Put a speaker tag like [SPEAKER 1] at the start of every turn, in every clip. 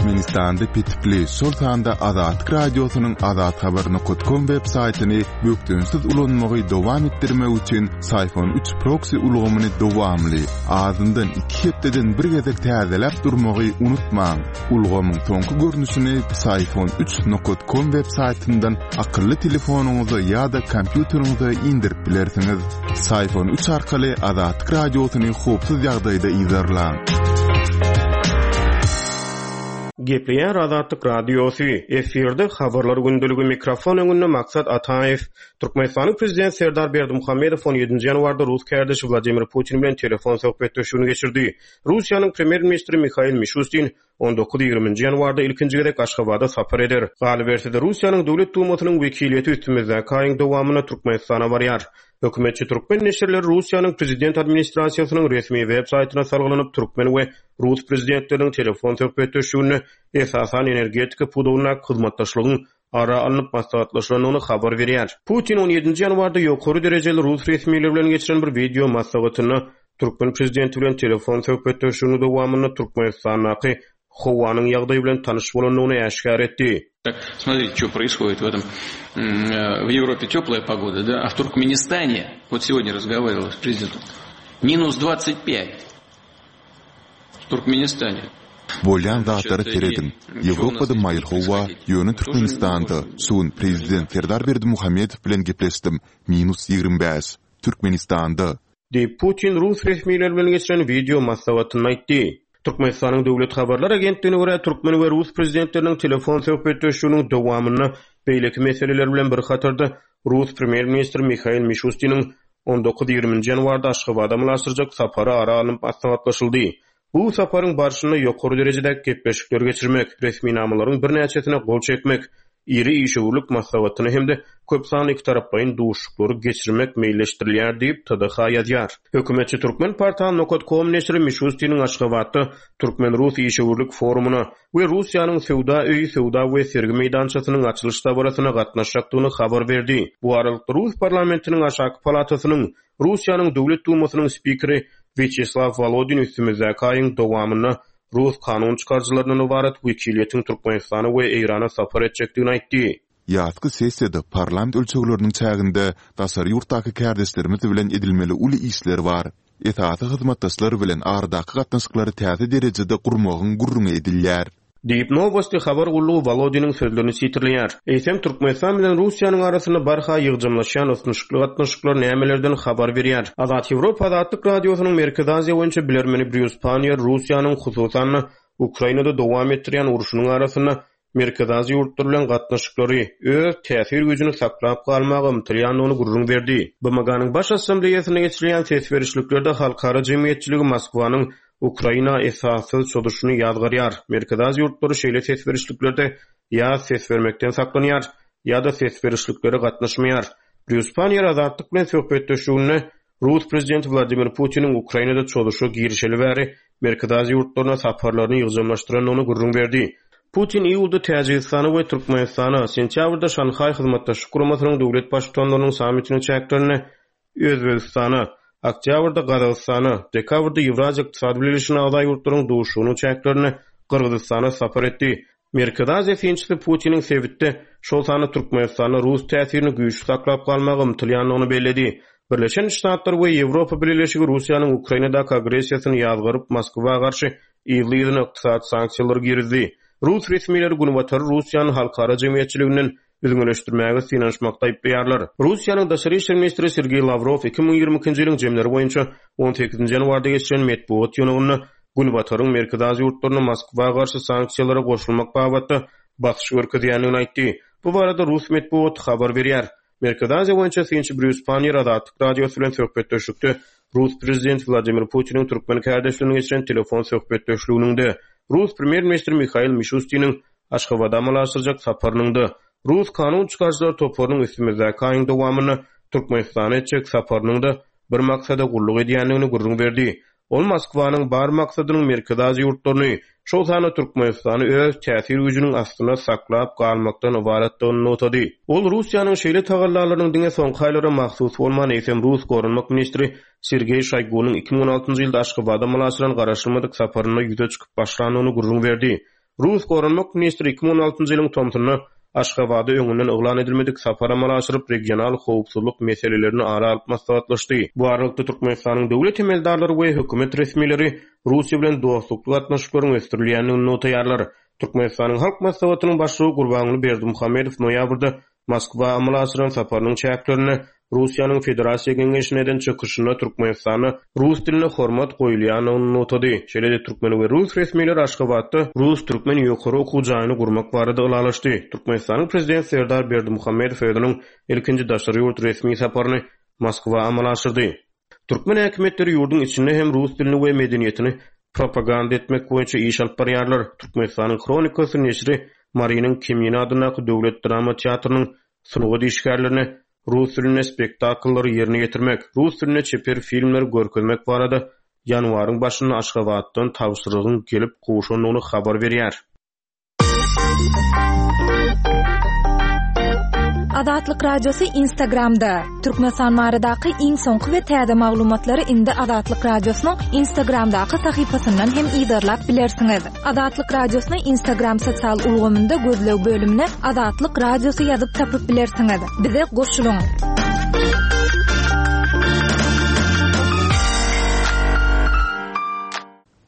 [SPEAKER 1] Türkmenistanda petikli, şol sanda Azatlyk Radiosynyň azathabar nokat kom web saýtyny bökdençsiz ulanmagy dowam etdirmek üçin Syfon üç proksi ulgamyny dowamly, azyndan iki hepdeden bir gezek täzeläp durmagy unutmaň. Ulgamyň soňky görnüşini Psiphon üç nokat kom web saýtyndan akylly telefonyňyza ýa-da kompýuteriňize indirip bilersiňiz. Psiphon üç arkaly Azatlyk Radiosyny howpsuz ýagdaýda yzarlaň.
[SPEAKER 2] Gepleýär Azatlyk Radiosy, efirde Habarlar gündeligi, mikrofon öňünde Maksat Ataýew. Türkmenistanyň Prezidenti Serdar Berdimuhamedow on ýedinji ýanwarda rus kärdeşi Wladimir Putin bilen telefon söhbetdeşligini geçirdi. Russiýanyň Premýer-ministri Mihail Mişustin on dokuz-ýigriminji ýanwarda ilkinji gezek Aşgabada sapar eder. Galyberse-de, Russiýanyň Döwlet Dumasynyň wekiliýeti üstümizdäki aýyň dowamynda Türkmenistana barýar. Hökümetçi türkmen neşirleri Russiýanyň Prezident administrasiýasynyň resmi web saýtyna salgylanyp, türkmen we rus prezidentleriniň telefon söhbetdeşliginde esasan energetika pudagyndaky hyzmatdaşlygyň ara alnyp maslahatlaşylandygyny habar berýär. Putin on ýedinji ýanwarda ýokary derejeli rus resmileri bilen geçiren bir wideo maslahatynda türkmen prezidenti bilen telefon söhbetdeşliginiň dowamynda Türkmenistandaky howanyň ýagdaýy bilen tanyş bolandygyny äşgär etdi.
[SPEAKER 3] Tak, смотрите, что происходит в этом, в Европе теплая погода, да, а в Туркменистане, вот сегодня разговаривал с президентом, минус 25 в Туркменистане.
[SPEAKER 1] Bolýan zatlara serediň. Ýewropada maýyl howa, ýöne Türkmenistanda, şu gün prezident Serdar Berdimuhamedow bilen gepleşdim, minus 25. Türkmenistanda.
[SPEAKER 2] Diýip, Putin rus resmileri bilen geçiren wideo maslahatynda aýtdy. Türkmenistanyň Döwlet habarlar agentligine görä, türkmen we rus prezidentleriniň telefon söhbetdeşliginiň dowamynda beýleki meseleler bilen bir hatarda rus premýer-ministri Mihail Mişustiniň on dokuz-ýigriminji ýanwarda Aşgabada amala aşyrjak sapary ara alnyp maslahatlaşyldy. Bu saparyň barşynda ýokary derejedäki gepleşikleri geçirmek, resminamalaryň birnäçesine gol çekmek, iri işewürlik maslahatyny hem-de köp sanly ikitaraplaýyn duşuşyklary geçirmek meýilleşdirilýär diýip, TDH ýazýar. Hökümetçi Turkmenportal nokat kom neşiri Mişustiniň Aşgabatda türkmen-rus işewürlik forumyna we Russiýanyň Söwda öýi söwda we sergi meýdançasynyň açylyş dabarasyna gatnaşjakdygyny habar berdi. Bu aralykda, rus parlamentiniň aşaky palatasynyň Russiýanyň Döwlet Dumasynyň spikeri Wýaçeslaw Wolodin üstümizdäki aýyň dowamynda rus kanun çykaryjylaryndan ybarat wekiliýetiň Türkmenistana we Eýrana sapar etjekdigini aýtdy.
[SPEAKER 1] Ýazky sessiýada parlament ölçegleriniň çäginde daşary ýurtdaky kärdeşlerimiz bilen edilmeli uly işler bar. Esasy hyzmatdaşlar bilen aradaky gatnaşyklary täze derejede gurmagyň gürrüňi edilýär.
[SPEAKER 2] Diýip, Nowosti habar gullugy Wolodiniň sözlerini sitirleýär. Eýsem, Türkmenistan bilen Russiýanyň arasynda barha ýygjamlaşýan ysnyşykly gatnaşyklar nämelerden habar berýär? Azat Ýewropa Azatlyk Radiosynyň Merkezi Aziýa boýunça bilermeni Brýus Panniýer Russiýanyň, hususan-da, Ukrainada dowam etdirýän urşunyň arasynda Merkezi Aziýa ýurtlary bilen gatnaşyklary, öz täsir güýjüni saklap galmaga ymtylýandygyny gürrüň berdi. BMG-niň Baş Assambleýasynda geçirilýän ses berişliklerde halkara jemgyýetçiligi Moskwanyň Ukraina esassyz çozuşyny ýazgarýar. Merkezi Aziýa ýurtlary şeýle ses berişliklerde ýa ses bermekden saklanýar, ýa-da ses berişliklere gatnaşmaýar. Brýus Panniýer Azatlyk bilen söhbetdeşliginde rus prezidenti Wladimir Putiniň Ukrainada çozuşa girişeli bäri Merkezi Aziýa ýurtlaryna saparlaryny ýygjamlaşdyrandygyny gürrüň berdi. Putin iýulda Täjigistana we Türkmenistana, sentýabrda Şanhaý Hyzmatdaşlyk Guramasynyň döwlet Baştutanlarynyň sammitiniň çäklerinde Özbegistana, oktýabrda Gazagystana, dekabrda Ýewraziýa Ykdysady Bileleşigine agza ýurtlaryň duşuşygynyň çäklerinde Gyrgyzystana sapar etdi. Merkezi Aziýa synçysy Putiniň sebitde, şol sanda Türkmenistanda rus täsirini güýçli saklap galmaga ymtylýandygyny belledi. Birleşen Ştatlar we Ýewropa Bileleşigi Russiýanyň Ukrainadaky agressiýasyny ýazgaryp, Moskwa garşy yzly-yzyna ykdysady sanksiýalary girizdi. Rus resmileri Günbatary Russiýany halkara jemgyýetçiliginden üzňeleşdirmäge synanyşmakda aýyplaýarlar. Russiýanyň Daşary işler ministri Sergeý Lawrow 2022-nji ýylyň jemleri boýunça on sekizinji ýanwarda geçiren metbugat ýygnagynda Günbataryň Merkezi Aziýa ýurtlaryna Moskwa garşy sanksiýalara goşulmak babatda basyş görkezýändigini aýtdy. Bu barada rus metbugaty habar berýär. Merkezi Aziýa boýunça synçy Brýus Panniýer Azatlyk Radiosy bilen söhbetdeşlikde rus prezidenti Wladimir Putiniň türkmen kärdeşi bilen geçiren telefon söhbetdeşliginiň-de, rus premýer-ministri Mihail Mişustiniň Aşgabada amala aşyrjak saparynyň-da, rus kanun çykaryjylar toparynyň üstümizdäki aýyň dowamynda Türkmenistana etjek saparynyň-da bir maksada gulluk edýändigini gürrüň berdi. Ol Moskwanyň bar maksadynyň Merkezi Aziýa ýurtlaryny, şol sanda Türkmenistany öz täsir güýjüniň astynda saklap galmakdan ybaratdygyny nygtady. Ol Russiýanyň şeýle tagallalarynyň diňe soňky aýlara mahsus bolman, eýsem rus goranmak ministri Sergeý Şoýgunyň 2016 ýylda Aşgabada amala aşyran garaşylmadyk saparynda ýüze çykyp başlandygyny gürrüň berdi. Rus goranmak ministri 2016-njy ýylyň tomsunda Aşgabada öňünden yglan edilmedik sapar amala aşyryp, regional howpsuzlyk meselelerini ara alyp maslahatlaşdy. Bu aralykda, Türkmenistanyň döwlet emeldarlary we hökümet resmileri Russiýa bilen dostlukly gatnaşyklaryň ösdürilýändigini nygtaýarlar. Türkmenistanyň Halk Maslahatynyň Başlygy Gurbanguly Berdimuhamedow noýabrda Moskwa amala aşyran saparynyň çäklerinde Russiýanyň Federasiýa Geňeşinde eden çykyşynda Türkmenistanda rus diline hormat goýulýandygyny nygtady. Şeýle-de türkmen we rus resmileri Aşgabatda rus-türkmen ýokary okuw jaýyny gurmak barada ylalaşdy. Türkmenistanyň Prezidenti Serdar Berdimuhamedow özüniň ilkinji daşary ýurt resmi saparyny Moskwa amala aşyrdy. Türkmen häkimiýetleri ýurduň içinde hem rus dilini we medeniýetini propaganda etmek boýunça iş alyp barýarlar. Türkmenistanyň Hronikasy neşiri Marynyň Kemine adyndaky döwlet drama teatrynyň sungat işgärlerine rus dilinde spektakllary ýerine ýetirmek, rus dilinde çeper filmleri görkezmek barada ýanwaryň başynda Aşgabatdan tabşyrygyň gelip gowşandygyny habar berýär.
[SPEAKER 4] Azatlyk Radiosy Instagramda, Türkmenistan baradaky iň soňky we täze maglumatlary indi Azatlyk Radiosynyň Instagramdaky sahypasyndan hem yzarlap bilersiňiz. Azatlyk Radiosyny Instagram sosial ulgamynda gözleg bölümine Azatlyk Radiosy ýazyp tapyp bilersiňiz. Bize goşulyň!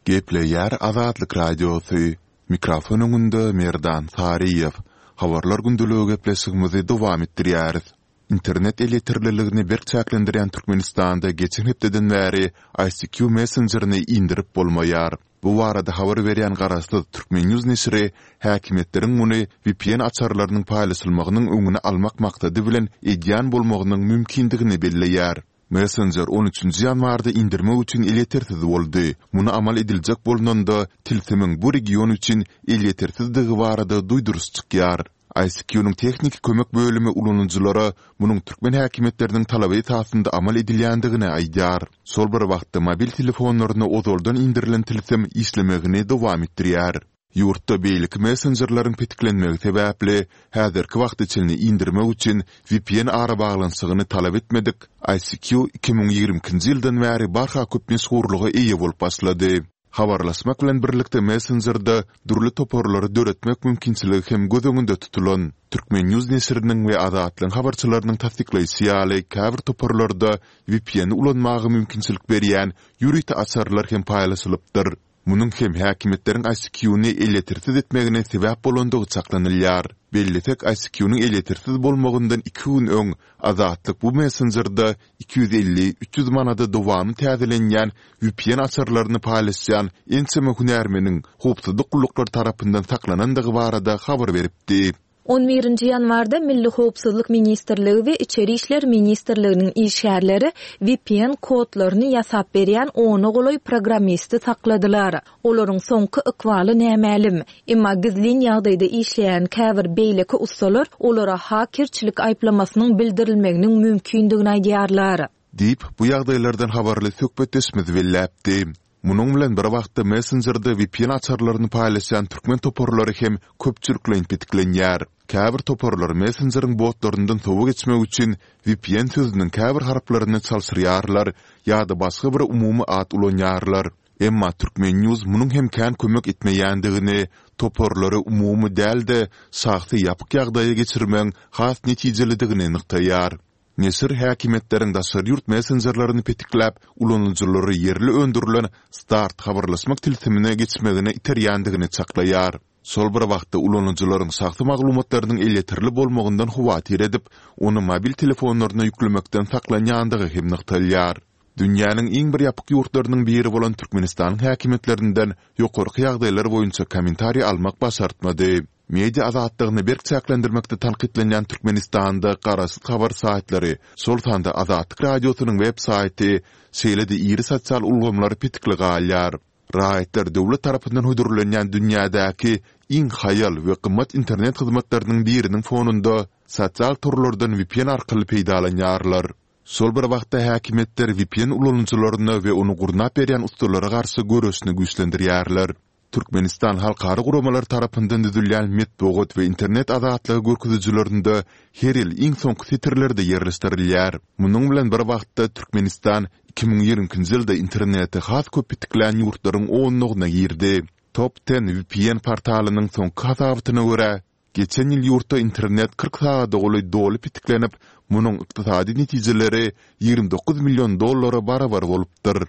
[SPEAKER 1] Gepleýär Azatlyk Radiosy, Mikrofon öňünde Merdan Saryýew. Habarlar gündeligi gepleşigimizi dowam etdirýäris. Internet elýeterliligini berk çäklendirýän Türkmenistanda geçen hepdeden bäri ICQ messenjerini indirip bolmaýar. Bu barada habar berýän garaşsyz Turkmennews neşiri häkimiýetleriň muny vpn açarlarynyň paýlaşylmagynyň öňüni almak maksady bilen edýän bolmagynyň mümkindigini belleýär. Messenjer on üçünji ýanwarda indirmek üçin elýetersiz boldy. Muny amal ediljek bolnanda, tilsimiň bu region üçin elýetersizdigi barada duýduryş çykýar. ICQ-nyň tehniki kömek bölümi ulanyjylara munuň türkmen häkimiýetleriniň talaby esasynda amal edilýändigini aýdýar. Şol bir wagtda, mobil telefonlaryna ozaldan indirilen tilsim işlemegini dowam etdirýär. Ýurtda beýleki messenjerleriň petiklenmegi sebäpli, häzirki wagta çenli indirmek üçin vpn arabaglanyşygyny talap etmedik ICQ 2022-nji ýyldan bäri barha köp meşhurlyga eýe bolup başlady. Habarlaşmak bilen birlikde messenjerde dürli toparlary döretmek mümkinçiligi hem göz öňünde tutulan. Turkmennews neşiriniň we Azatlygyň habarçylarynyň tassyklaýşy ýaly, käbir toparlarda vpn-i ulanmaga mümkinçilik berýän ýörite açarlar hem paýlaşylypdyr. Munuň hem häkimiýetleriň ICQ-ny elýetersiz etmegine sebäp bolandygy çaklanylýar. Bellesek, ICQ-nyň elýetersiz bolmagyndan iki gün öň Azatlyk bu messenjerde 250, 300 manada dowamly täzelenýän vpn açarlaryny paýlaşýan ençeme hünärmeniň howpsuzlyk gulluklary tarapyndan saklanandygy barada habar beripdi.
[SPEAKER 4] On birinji ýanwarda Milli howpsuzlyk ministrligi we Içeri işler ministrliginiň işgärleri vpn kodlaryny ýasap berýän ona golaý programmisti sakladylar. Olaryň soňky ykbaly nämälim. Emma gizlin ýagdaýda işleýän käbir beýleki ussalar olara hakerçilik aýyplamasynyň bildirilmeginiň mümkindigini aýdýarlar.
[SPEAKER 1] Diýip, bu ýagdaýlardan habarly söhbetdeşimiz belläpdi. Munuň bilen bir wagtda messenjerde vpn açarlaryny paýlaşýan türkmen toparlary hem köpçülikleýin petiklenýär. Käbir toparlar messenjeriň botlaryndan sowa geçmek üçin vpn sözüniň käbir harplaryny çalşyrýarlar ýa-da başga bir umumy at ulanýarlar. Emma Turkmennews munuň hem kän kömek etmeýändigini, toparlary umumy däl-de, şahsy ýapyk ýagdaýa geçirmegiň has netijelidigini nygtaýar. Neşir häkimiýetleriň daşary ýurt messenjerlerini petikläp, ulanyjylary ýerli öndürilen Start habarlaşmak tilsimine geçmegine iterýändigini çaklaýar. Şol bir wagtda, ulanyjylaryň şahsy maglumatlarynyň elýeterli bolmagyndan howatyr edip, ony mobil telefonlaryna ýüklemekden saklanýandygy hem nygtalýar. Dünýäniň iň bir ýapyk ýurtlarynyň biri bolan Türkmenistanyň häkimiýetlerinden ýokarky ýagdaýlar boýunça kommentariý almak başartmady. Media azatlygyny berk çäklendirmekde tankytlanýan Türkmenistanda garaşsyz habar saýtlary, şol sanda Azatlyk Radiosynyň web saýty, şeýle-de iri sosial ulgamlar petikli galýar. Raýatlar döwlet tarapyndan hödürlenýän dünýädäki iň haýal we gymmat internet hyzmatlarynyň biriniň fonunda sosial torlardan vpn arkaly peýdalanýarlar. Şol bir wagtda häkimiýetler vpn ulanyjylaryna we ony gurnap berýän ussalara garşy göreşini güýçlendirýärler. Türkmenistan halkara guramalar tarapyndan düzülýän metbugat we internet azatlygy görkezijilerinde her ýyl iň soňky setirlerde ýerleşdirilýär. Munuň bilen bir wagtda, Türkmenistan 2022-nji ýylda interneti has köp petiklän ýurtlaryň onlugyna girdi. Top Ten vpn portalynyň soňky hasabatyna görä, geçen ýyl ýurtda internet 40 sagada golaý doly petiklenip, munuň ykdysady netijeleri 29 million dollara barabar bolupdyr.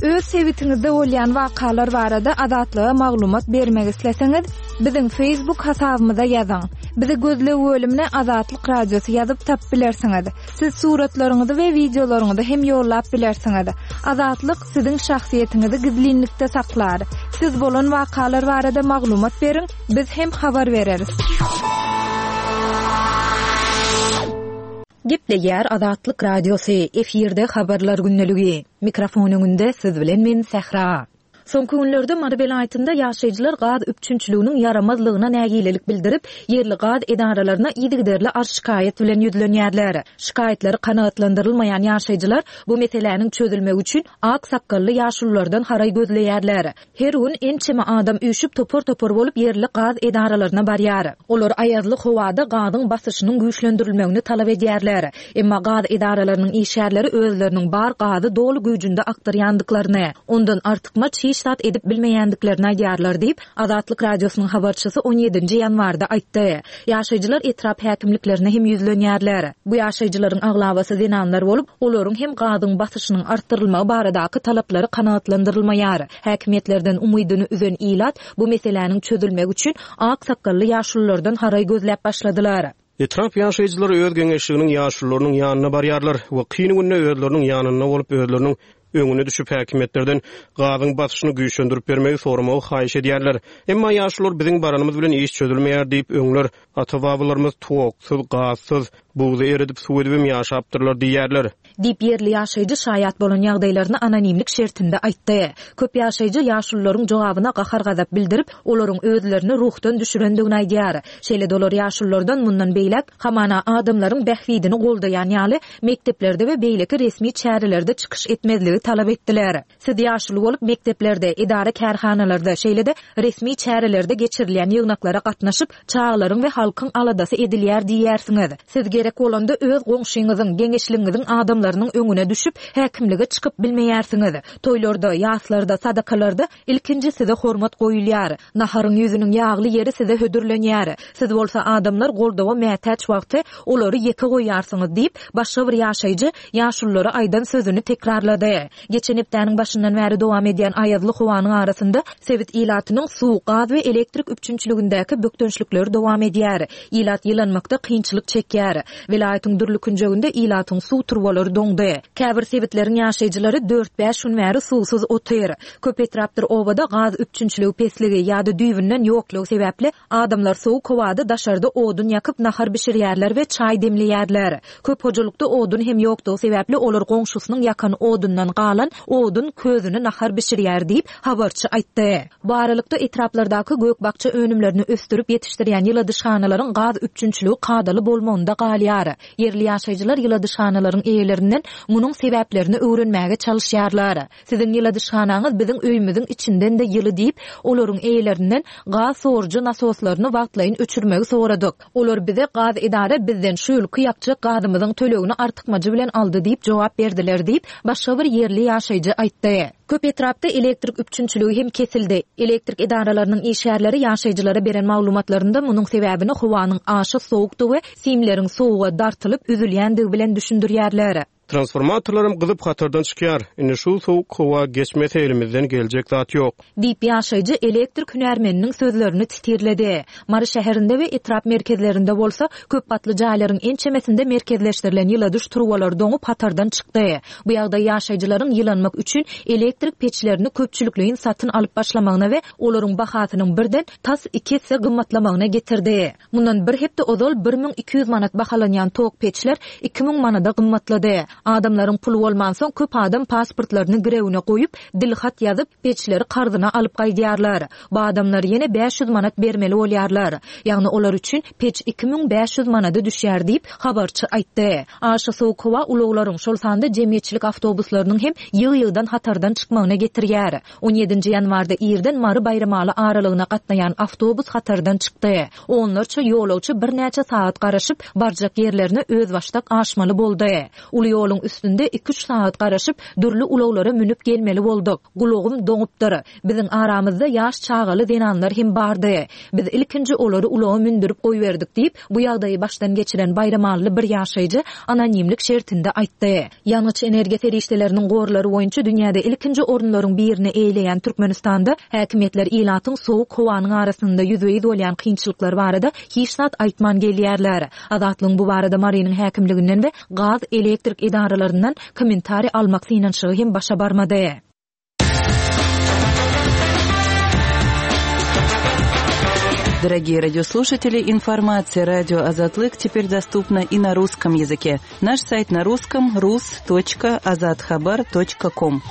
[SPEAKER 5] Öz sebitiňizde bolýan wakalar barada Azatlyga maglumat bermek isleseňiz, biziň Facebook hasabymyza ýazyň. Bizi gözleg bölümine Azatlyk Radiosy ýazyp tapyp bilersiňiz. Siz suratlaryňyzy we wideolaryňyzy hem ýollap bilersiňiz. Azatlyk siziň şahsyýetiňizi gizlinlikde saklar. Siz bolan wakalar barada maglumat beriň, biz hem habar bereris.
[SPEAKER 4] Gepleýär Azatlyk Radiosy, efirde Habarlar gündeligi. Mikrofon öňünde siz bilen men Sähra. Soňky günlerde Mary welaýatynda ýaşaýjylar gaz üpjünçiliginiň ýaramazlygyna nägilelik bildirip, ýerli gaz edaralaryna yzygiderli arz-şikaýat bilen ýüzlenýärler. Şikaýatlary kanagatlandyrylmaýan ýaşaýjylar bu meseläniň çözülmegi üçin ak sakgally ýaşululardan haraý gözleýärler. Her gün ençeme adam üýşüp topar-topar bolup ýerli gaz edaralaryna barýar. Olar aýazly howada gazyň basyşynyň güýçlendirilmegini talap edýärler. Emma gaz edaralarynyň işgärleri özleriniň bar gazy doly güýjünde akdyrýandyklaryny, ondan artykmaç hiç zat edip bilmeýändiklerini aýdýarlar diýip, Azatlyk Radiosynyň habarçysy on ýedinji ýanwarda aýtdy. Ýaşaýjylar etrap häkimliklerine hem ýüzlenýärler. Bu ýaşaýjylaryň aglabasy zenanlar bolup, olaryň hem gazyň basyşynyň artdyrylmagy baradaky talaplary kanagatlandyrylmaýar. Häkimiýetlerden umydyny üzen ilat bu meseläniň çözülmegi üçin ak sakgally ýaşululardan haraý gözläp başladylar.
[SPEAKER 2] Etrap ýaşaýjylary öz geňeşliginiň ýaşulularynyň ýanyna barýarlar we kyn günde özleriniň ýanynda bolup, özleriniň öňüne düşüp häkimiýetlerden gazyň basyşyny güýçlendirip bermegi soramagy haýyş edýärler. Emma ýaşulular biziň baranymyz bilen iş çözülmeýär diýip, öňler ata-babalarymyz toksuz, gazsyz, buzy eredip suw edibem ýaşapdyrlar diýýärler.
[SPEAKER 4] Diýip, ýerli ýaşaýjy şaýat bolan ýagdaýlaryny anonimlik şertinde aýtdy. Köp ýaşaýjy ýaşulularyň jogabyna gahar-gazap bildirip, olaryň özlerini ruhdan düşürendigini aýdýar. Şeýle-de olar ýaşululardan mundan beýläk, hamana, adamlaryň bähbidini goldaýan ýaly, mekdeplerde we beýleki resmi çärelerde çykyş etmezligi talap etdiler. Siz ýaşuly bolup, mekdeplerde, edara-kärhanalarda, şeýle-de resmi çärelerde geçirilýän ýygnaklara gatnaşyp, çagalaryň we halkyň aladasy edilýär diýýärsiňiz. Siz gerek bolanda öz goňşyňyzyň, geňeşligiňiziň adamlarynyň öňüne düşüp, häkimlige çykyp bilmeýärsiňiz. Toýlarda, ýaslarda, sadakalarda ilkinji size hormat goýulýar. Naharyň ýüzüniň ýagly ýeri size hödürlenýär. Siz bolsa adamlar goldawa mätäç wagty olary ýeke goýýarsyňyz diýip, başga bir ýaşaýjy ýaşululara aýdan sözüni tekrarlady. Geçen hepdäniň başyndan bäri dowam edýän aýazly howanyň arasynda sebit ilatynyň suw, gaz we elektrik üpjünçiligindäki bökdençlikleri dowam edýär. Ilat ýylanmakda kynçylyk çekýär. Welaýatyň dürli künjeginde ilatyň suw turbalary doňdy. Käbir sebitleriň ýaşaýjylary dört-bäş gün bäri suwsuz otyr. Köp etrapdyr obada gaz üpjünçiligi pesligi ýa-da düýbünden ýoklugy sebäpli Adamlar sowuk howada daşarda odun ýakyp nahar bişirýärler we çaý demleýärler. Köp hojalykda odun hem ýokdugy sebäpli olar goňşusynyň ýakan odundan galan odun közüni nahar bişirýär diýip, habarçy aýtdy. Bu aralykda, etraplardaky gök-bakja önümlerini ösdürip ýetişdirýän ýyladyşhanalaryň gaz üpjünçiligi kadaly bolmagynda galýar. Ýerli ýaşaýjylar ýyladyşhanalaryň eýelerinden munuň sebäplerini öwrenmäge çalyşýarlar. Siziň ýyladyşhanaňyz biziň öýümiziň içinden-de ýyly diýip, olaryň eýelerinden gaz sorujy nasoslaryny wagtlaýyn öçürmegi soradyk. Olar bize gaz edara bizden şu ýylky ýakjak gazymyzyň tölegini artykmajy bilen aldy diýip jogap berdiler diýip, başga bir ýerli ýaşaýjy aýtdy. Köp etrapda elektrik üpjünçiligi hem kesildi. Elektrik edaralarynyň işgärleri ýaşaýjylara beren maglumatlarynda munuň sebäbini howanyň aşa sowukdygy we simleriň sowuga dartylyp üzülýändigi bilen düşündirýärler.
[SPEAKER 2] Transformatorlaram gyzyp hatardan çykýar. Indi şu sowuk howa geçmese elimizden geljek zat ýok.
[SPEAKER 4] Diýip, ýaşaýjy elektrik hünärmeniniň sözlerini titirledi. Mary şäherinde we etrap merkezlerinde bolsa, köp gatly jaýlaryň ençemesinde merkezleşdirilen ýyladyş turbalary doňup hatardan çykdy. Bu ýagdaý ýaşaýjylaryň ýylanmak üçin elektrik peçlerini köpçülikleýin satyn alyp başlamagyna we olaryň bahasynyň birden tas iki esse gymmatlamagyna getirdi. Mundan bir hepde ozal 1200 manat bahalanýan tok peçler 2000 manada gymmatlady. Adamlaryň puly bolmansoň, köp adam pasportlaryny girewine goýup, dilhat ýazyp, peçleri karzyna alyp gaýdýarlar. Bu adamlar ýene 500 manat bermeli bolýarlar. Ýagny olar üçin peç 2500 manada düşýär diýip, habarçy aýtdy. Aşa sowuk howa ulaglaryň, şol sanda jemgyýetçilik awtobuslarynyň hem ýygy-ýygydan hatardan çykmagyna getirýär. On ýedinji ýanwarda irden Mary-Baýramaly aralygyna gatnaýan awtobus hatardan çykdy. Onlarça ýolagçy birnäçe sagat garaşyp, barjak ýerlerine özbaşdak aşmaly boldy. Uly ýola. Ýoluň üstünde iki-üç sagat garaşyp, dürli ulaglara münüp gelmeli bolduk. Gulagym doňupdyr. Biziň aramyzda ýaş çagaly zenanlar hem bardy. Biz ilkinji olary ulaga mündürip goýberdik diýip, bu ýagdaýy başdan geçiren baýramally bir ýaşaýjy anonimlik şertinde aýtdy. Ýangyç-energiýa serişdeleriniň gorlary boýunça dünýäde ilkinji orunlaryň birini eýeleýän Türkmenistanda häkimiýetler ilatyň sowuk howanyň arasynda ýüzbe-ýüz bolýan kynçylyklary barada hiç zat aýtman gelýärler. Azatlygyň bu barada Marynyň häkimliginden we gaz, elektrik edaralaryndan kommentariý almak synanyşygy hem başa barmady.
[SPEAKER 6] Дорогие радиослушатели, информация радио Азатлык теперь доступна и на русском языке. Наш сайт на русском rus.azathabar.com.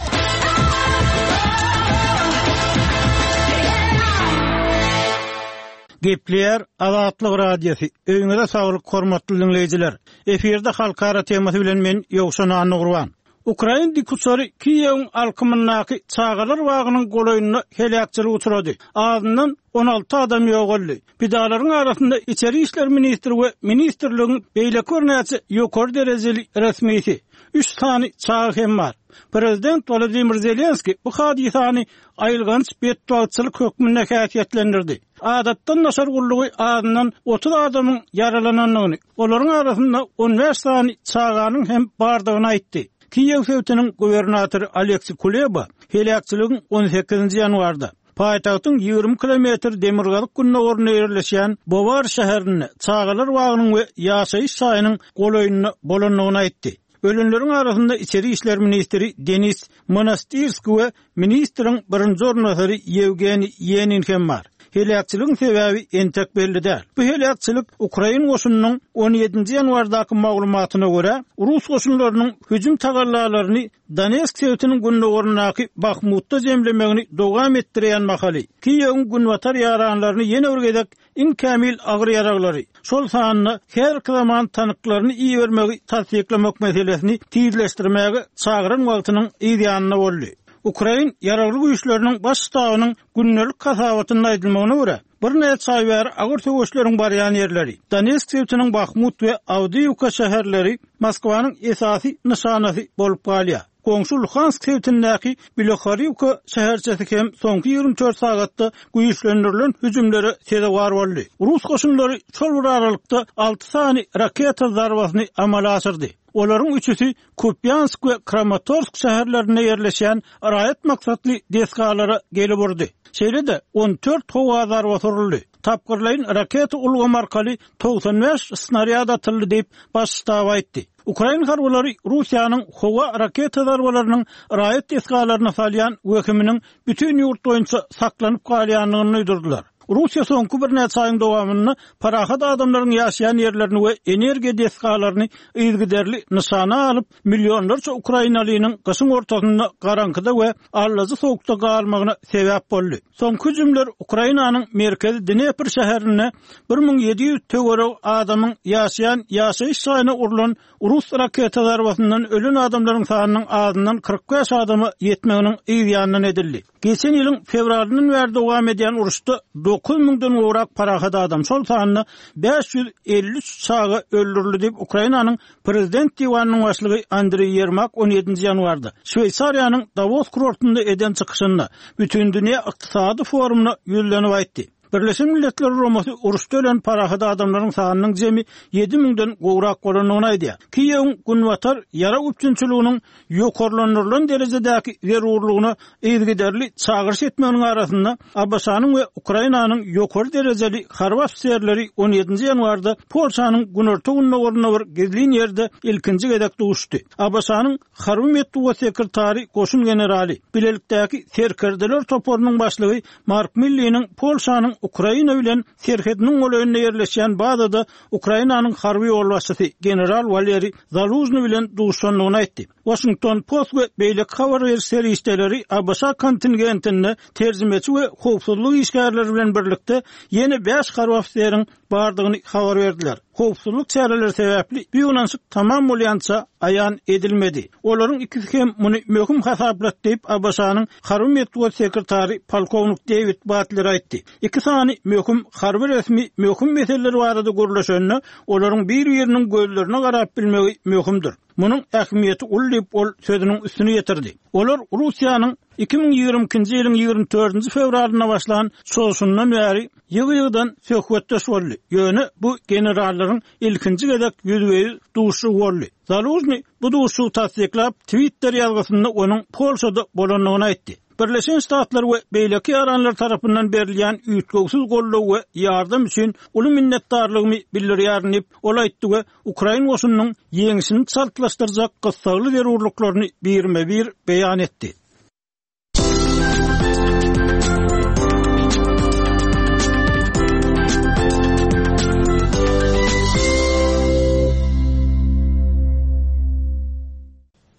[SPEAKER 7] Gepleýär Azatlyk Radiosy, Öýüňize saglyk hormatly diňleýjiler! Efirde halkara temasy bilen men Ýowşan Annagurban. Ukrain dikuçary Kiýewiň alkymyndaky çagalar bagynyň golaýynda heläkçilige uçrady. Azyndan 16 adam ýogaldy. Pidalaryň arasynda içeri işler ministri we ministrligiň beýleki birnäçe ýokary derejeli resmisi, üç sany çaga hem bar. Prezident Wolodymyr Zelenskiý bu hadysany aýylganç betbagtçylyk hökmünde häsiýetlendirdi. Adatdan daşary gullugy azyndan 30 adamyň ýaralanandygyny, olaryň arasynda 15 sany çaganyň hem bardygyny aýtdy. Kiýew sebitiniň gubernatory Oleksiý Kuleba heläkçiligiň on sekizinji ýanwarda, paýtagtyň 20 kilometr demirgazyk-gündogarynda ýerleşýän Bowar şäherinde çagalar bagynyň we ýaşaýyş jaýynyň golaýynda bolandygyny aýtdy. Ölenleriň arasynda içeri işler ministri Denis Monastyrskiý we ministriň birinji orunbasary Ýewgeniý Ýenin hem bar. Heläkçiligiň sebäbi entek belli däl. Bu heläkçilik ukrain goşunynyň on ýedinji ýanwardaky maglumatyna görä, rus goşunlarynyň hüjüm tagallalaryny Donetsk sebitiniň gündogaryndaky Bahmutda jemlemegini dowam etdirýän mahaly, Kiýewiň günbatar ýaranlaryny ýene bir gezek iň kämil agyr ýaraglary, şol sanda häzirki zaman tanklaryny ibermegi tassyklamak meselesini tizleşdirmäge çagyran wagtynyň yz ýanynda boldy. Ukrain Ýaragly Güýçleriniň Baş ştabynyň gündelik hasabatynda aýdylmagyna görä, birnäçe aý bäri agyr söweşleriň barýan ýerleri, Donetsk sebitiniň Bahmut we Awdiýiwka şäherleri Moskwanyň esasy nyşanasy bolup galýar. Goňşy Luhansk sebitindäki Bilohoriwka şäherçesi hem soňky 24 sagatda güýçlendirilen hüjümlere sezewar boldy. Rus goşunlary şol bir aralykda alty sany raketa zarbasyny amala aşyrdy. Olaryň üçüsi Kupýansk we Kramatorsk şäherlerinde ýerleşýän raýat maksatly desgalara gelip urdy. Şeýle-de, 14 howa zarbasy uruldy. Tapgyrlaýyn raketa ulgamy arkaly 95 snarýad atyldy diýip, Baş ştab aýtdy. Ukrain harbylary Russiýanyň howa raketa zarbalarynyň raýat desgalaryna salýan wehiminiň bütin ýurt boýunça saklanyp galýandygyny duýdurdylar. Russiýa soňky birnäçe aýyň dowamynda parahat adamlaryň ýaşaýan ýerlerini we energiýa desgalaryny yzygiderli nyşana alyp, millionlarça ukrainalynyň gyşyň ortasynda garaňkyda we allajy sowukda galmagyna sebäp boldy. Soňky hüjümler Ukrainanyň merkezi Dnepr şäherinde 1700 töweregi adamyň ýaşaýan ýaşaýyş jaýyna urlan rus raketa zarbasyndan ölen adamlaryň sanynyň azyndan 45 adama ýetmeginiň yz ýanyndan edildi. Geçen ýylyň fewralyndan bäri dowam edýän uruşda 9 müňden gowrak parahat adam, şol sanda 553 çaga öldürildi diýip, Ukrainanyň Prezident diwanynyň başlygy Andreý Ýermak on ýedinji ýanwarda Şweýsariýanyň Dawos kurortynda eden çykyşynda Bütindünýä ykdysady forumyna ýüzlenip aýtdy. Birleşen Milletler Guramasy uruşda ölen parahat adamlaryň sanynyň jemi ýedi müňden gowrak bolandygyny aýdýar. Kiýewiň Günbatar ýarag üpjünçiliginiň ýokarlandyrylan derejedäki zerurlygyna yzygiderli çagyryş etmeginiň arasynda ABŞ-nyň we Ukrainanyň ýokary derejeli harby ofiserleri on ýedinji ýanwarda Polşanyň günorta-gündogarynda bir gizlin ýerde ilkinji gezek duşdy. ABŞ-nyň harby metbugat sekretary goşun generaly, bilelikdäki serkerdeler toparynyň başlygy Mark Milliniň Polşanyň Ukraina bilen serhediniň golaýynda ýerleşýän bazada Ukrainanyň harby ýolbaşçysy general Waleriý Zalužnyý bilen duşandygyny aýtdy. Waşington Post we beýleki habar beriş serişdeleri ABŞ kontingentinde terjimeçi we howpsuzlyk işgärleri bilen birlikde ýene bäş harby ofiseriň bardygyny habar berdiler. Howpsuzlyk çäreleri sebäpli bu ýygnanyşyk tamam bolýança aýan edilmedi. Olaryň ikisi hem muny möhüm hasaplady diýip, ABŞ-nyň harby metbugat sekretary polkownik Dewid Batler aýtdy. Iki sany möhüm harby resmi möhüm meseleler barada gürleşende, olaryň bir-biriniň gözlerine garap bilmegi möhümdir. Munuň ähmiýeti uly diýip, ol sözüniň üstüni ýetirdi. Olar Russiýanyň 2022-nji ýylyň 24-nji fewralynda başlan çozuşyndan bäri ýygy-ýygydan söhbetdeş boldy, ýöne bu generallaryň ilkinji gezek ýüzbe-ýüz duşuşygy boldy. Zalužnyý bu duşuşygy tassyklap, Twitter ýazgysynda onuň Polşada bolandygyny aýtdy. Birleşen Ştatlar we beýleki ýaranlar tarapyndan berilýän üýtgewsiz goldaw we ýardam üçin uly minnetdarlygymy bildirýärin diýip, ol aýtdy we ukrain goşunynyň ýeňşini çaltlaşdyrjak gyssagly zerurlyklaryny birme-bir beýan etdi.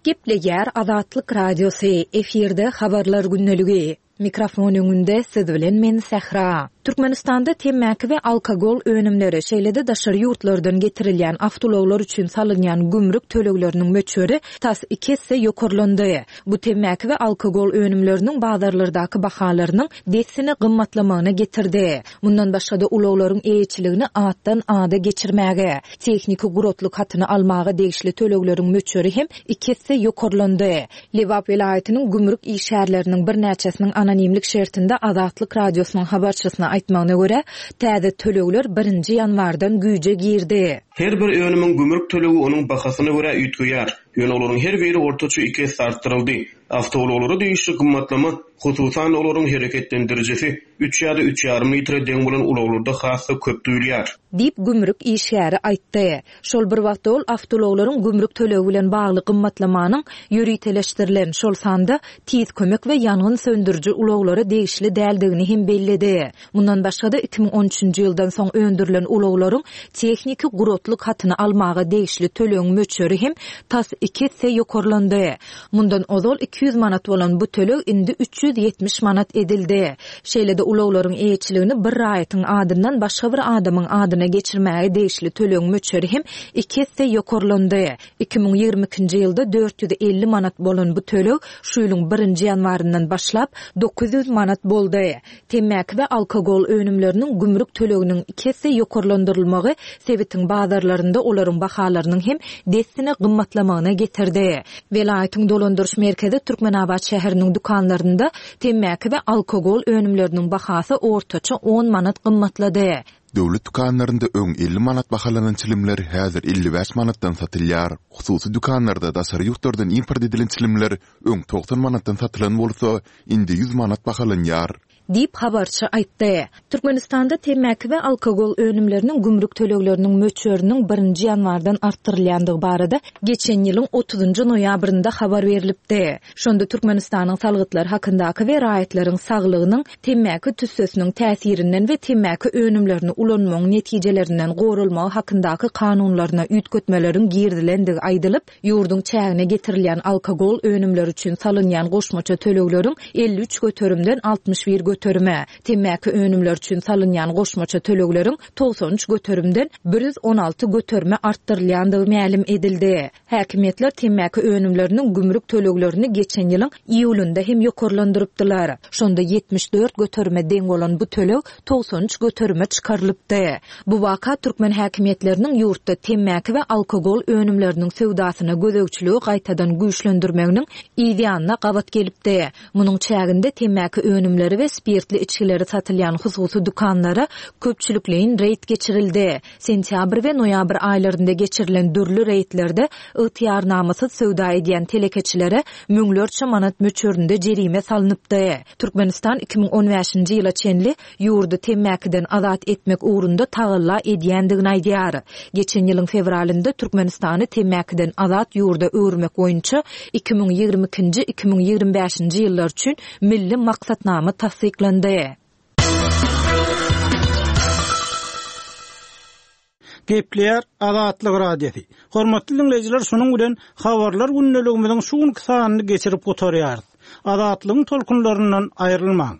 [SPEAKER 4] Gepleýär Azatlyk Radiosy, efirde Habarlar gündeligi. Mikrofon öňünde siz bilen men Sähra. Türkmenistanda temmäki we alkogol önümleri, şeýle-de daşary ýurtlardan getirilýän awtoulaglar üçin salynýan gümrük tölegleriniň möçberi tas iki esse ýokarlandy. Bu temmäki we alkogol önümleriniň bazarlardaky bahalarynyň dessine gymmatlamagyna getirdi. Mundan başga-da ulaglaryň eýeçiligini atdan ada geçirmäge, tehniki guratlyk hatyny almaga degişli tölegleriň möçberi hem iki esse ýokarlandy. Lebap welaýatynyň gümrük işgärleriniň birnäçesiniň anonimlik şertinde Azatlyk Radiosynyň habarçysyna aýtmagyna görä, täze tölegler birinji ýanwardan güýje girdi.
[SPEAKER 2] Her bir önümiň gümrük tölegi onuň bahasyna görä üýtgeýär. Ýöne olaryň her biri ortaça iki esse artdyryldy. Awtoulaglara degişli gymmatlama, hususan-da, olaryň hereketlendirijisi üç ýa-da üç ýarym litre deň bolan ulaglarda has-da köp duýulýar.
[SPEAKER 4] Diýip, gümrük işgäri aýtdy. Şol bir wagtda ol awtoulaglaryň gümrük tölegi bilen bagly gymmatlamanyň ýöriteleşdirilen, şol sanda tiz kömek we ýangyn söndüriji ulaglara degişli däldigini hem belledi. Mundan başga-da, 2013-nji ýyldan soň öndürilen ulaglaryň tehniki guratlyk hatyny almaga degişli tölegiň möçberi hem tas iki esse ýokarlandy. Mundan ozal 200 manat bolan bu töleg indi 370 manat edildi. Şeýle-de ulaglaryň eýeçiligini bir raýatyň adyndan başga bir adamyň adyna geçirmäge degişli tölegiň möçberi hem iki esse ýokarlandy. 2022-nji ýylda 450 manat bolan bu töleg şu ýylyň birinji ýanwaryndan başlap 900 manat boldy. Temmäki we alkogol önümleriniň gümrük töleginiň iki esse ýokarlandyrylmagy sebitiň bazarlarynda olaryň bahalarynyň hem dessine gymmatlamagyna getirdi. Welaýatyň dolandyryş merkezi Türkmenabat şäheriniň dükanlarynda temmäki we alkogol önümleriniň bahasy ortaça on manat gymmatlady.
[SPEAKER 1] Döwlet dükanlarynda öň 50 manat bahalanan çilimler häzir 55 manatdan satylýar. Hususy dükanlarda daşary ýurtlardan import edilen çilimler öň 90 manatdan satylan bolsa, indi 100 manat bahalanýar.
[SPEAKER 4] Diýip, habarçy aýtdy. Türkmenistanda temmäki we alkogol önümleriniň gümrük tölegleriniň möçberiniň birinji ýanwardan artdyrylýandygy barada geçen ýylyň otuzynjy noýabrynda habar berlipdi. Şonda Türkmenistanyň Salgytlar hakyndaky we Raýatlaryň saglygynyň temmäki tüssesiniň täsirinden we temmäki önümlerini ulanmagyň netijelerinden goralmagy hakyndaky kanunlaryna üýtgetmeleriň girizilendigi aýdylyp, Ýurduň çägine getirilýän alkogol önümleri üçin salynýan goşmaça tölegleriň 53 göterimden 61 göterime, temmäki önümleri üçin salynýan goşmaça tölegleriň 93 göterimden 116 göterime artdyrylýandygy mälim edildi. Häkimiýetler temmäki önümleriniň gümrük töleglerini geçen ýylyň iýulynda hem ýokarlandyrypdylar. Şonda 74 göterime deň bolan bu töleg 93 göterime çykarylypdy. Bu waka türkmen häkimiýetleriniň ýurtda temmäki we alkogol önümleriniň söwdasyna gözegçiligi gaýtadan güýçlendirmeginiň yz ýanyna gabat gelipdi. Munuň çäginde temmäki önümleri we spirtli içgileri satylýan hususy dükanlara köpçülikleýin reýd geçirildi. Sentýabr we noýabr aýlarynda geçirilen dürli reýdlerde ygtyýarnamasyz söwda edýän telekeçilere müňlerçe manat möçberinde jerime salnypdy. Türkmenistan 2015-nji ýyla çenli ýurdy temmäkiden azat etmek ugrunda tagalla edýändigini aýdýar. Geçen ýylyň fewralynda Türkmenistany temmäkiden azat ýurda öwürmek boýunça 2022-nji, 2025-nji ýyllar üçin milli maksatnama tassyklandy.
[SPEAKER 7] Gepleýär Azatlyk Radiosy. Hormatly diňleýjiler, şunuň bilen Habarlar gündeligimiziň şu günki sanyny geçirip gutarýarys. Azatlygyň tolkunlaryndan aýrylmaň!